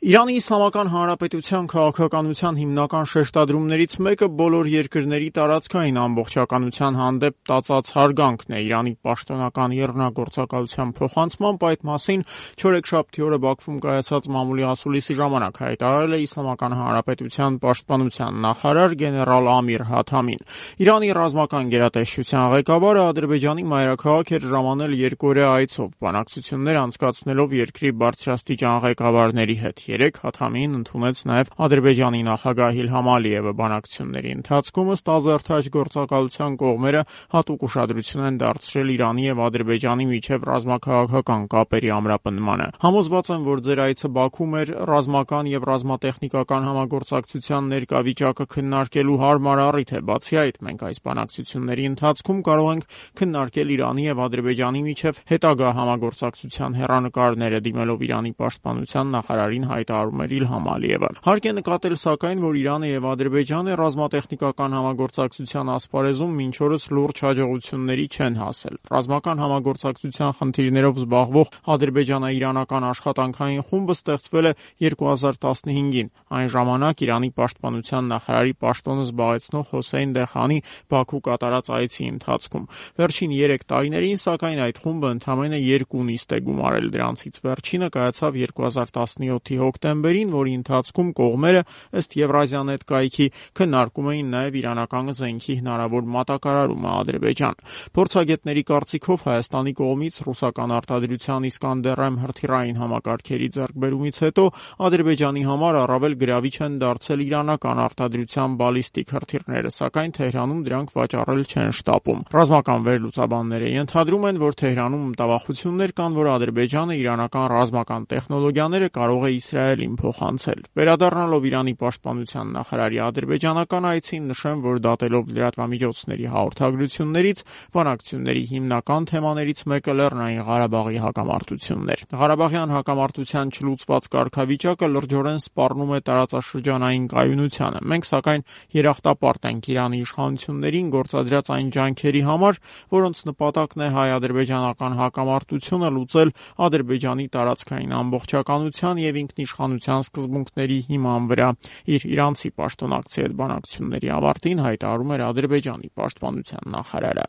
Իրանի Իսլամական Հանրապետության քաղաքականության հիմնական շեշտադրումներից մեկը բոլոր երկրների տարածքային ամբողջականության հանդեպ տածած հարգանքն է։ Իրանի պաշտոնական եռնագործակալության փոխանցմամբ այդ մասին չորեքշաբթի օրը Բաքվում կայացած մամուլի ասուլիսի ժամանակ հայտարարել է Իսլամական Հանրապետության պաշտպանության նախարար գեներալ Ամիր Հաթամին։ Իրանի ռազմական գերատեսչության ղեկավարը Ադրբեջանի մայրաքաղաք էր ժամանել երկօրյա այցով, բանակցություններ անցկացնելով երկրի բարձրաստիճան ղեկավարների հետ։ Երեկ Հաթամին ընդունեց նաև Ադրբեջանի նախագահ Իլհամ Ալիևը։ Բանակցությունների ընթացքում ըստ ազերթաջ գործակալության կողմերը հատուկ ուշադրություն են դարձրել Իրանի եւ Ադրբեջանի միջև ռազմաքաղաքական կապերի ամրապնդմանը։ Համոզված եմ, որ ձեր այցը Բաքվում էր ռազմական եւ ռազմատեխնիկական համագործակցության ներկա վիճակը քննարկելու հարմար առիթ է։ Բացի այդ, մենք այս բանակցությունների ընթացքում կարող ենք քննարկել Իրանի եւ Ադրբեջանի միջև հետագա համագործակցության հեռանկարները, դիմելով Իրանի պաշտպանության նախարարին հայտարարում էր Իլհամ Ալիևը։ Հարկ է նկատել, սակայն, որ Իրանը եւ Ադրբեջանը ռազմատեխնիկական համագործակցության ասպարեզում մինչ օրս լուրջ հաջողությունների չեն հասել։ Ռազմական համագործակցության խնդիրներով զբաղվող ադրբեջանա-իրանական աշխատանքային խումբը ստեղծվել է 2015-ին։ Այն ժամանակ Իրանի պաշտպանության նախարարի պաշտոնը զբաղեցնող Հոսեյն Դեխանի Բաքու կատարած այցի ընթացքում։ Վերջին 3 տարիներին, սակայն, այդ խումբը ընդամենը 2 նիստ է գումարել։ Դրանցից վերջինը կայացավ 2017-ի հոկտեմբերին, որի ընթացքում կողմերը ըստ Եվրազիանետ կայքի քննարկում էին նաև իրանական զենքի հնարավոր մատակարարումը Ադրբեջան։ Փորձագետների կարծիքով Հայաստանի կողմից ռուսական արտադրության Իսկանդեր-M հրթիռային համակարգերի ձեռքբերումից հետո Ադրբեջանի համար առավել գրավիչ են դարձել իրանական արտադրության բալիստիկ հրթիռները, սակայն Թեհրանում դրանք վաճառել չեն շտապում։ Ռազմական վերլուծաբանները ենթադրում են, որ Թեհրանում մտավախություններ կան, որ Ադրբեջանը իրանական ռազմական տեխնոլոգիաները կարող է Իսրայելին փոխանցել։ Վերադառնալով Իրանի պաշտպանության նախարարի ադրբեջանական այցին, նշեմ, որ դատելով լրատվամիջոցների հաղորդագրություններից, բանակցությունների հիմնական թեմաներից մեկը Լեռնային Ղարաբաղի հակամարտությունն էր։ Ղարաբաղյան հակամարտության չլուծված կարգավիճակը լրջորեն սպառնում է տարածաշրջանային կայունությանը։ Մենք, սակայն, երախտապարտ ենք Իրանի իշխանություններին գործադրած այն ջանքերի համար, որոնց նպատակն է հայ-ադրբեջանական հակամարտությունը լուծել Ադրբեջանի տարածքային ամբողջականության եւ ինքնիշխանության սկզբունքների հիման վրա։ Իր իրանցի պաշտոնակցի հետ բանակցությունների ավարտին հայտարարում էր Ադրբեջանի պաշտպանության նախարարը։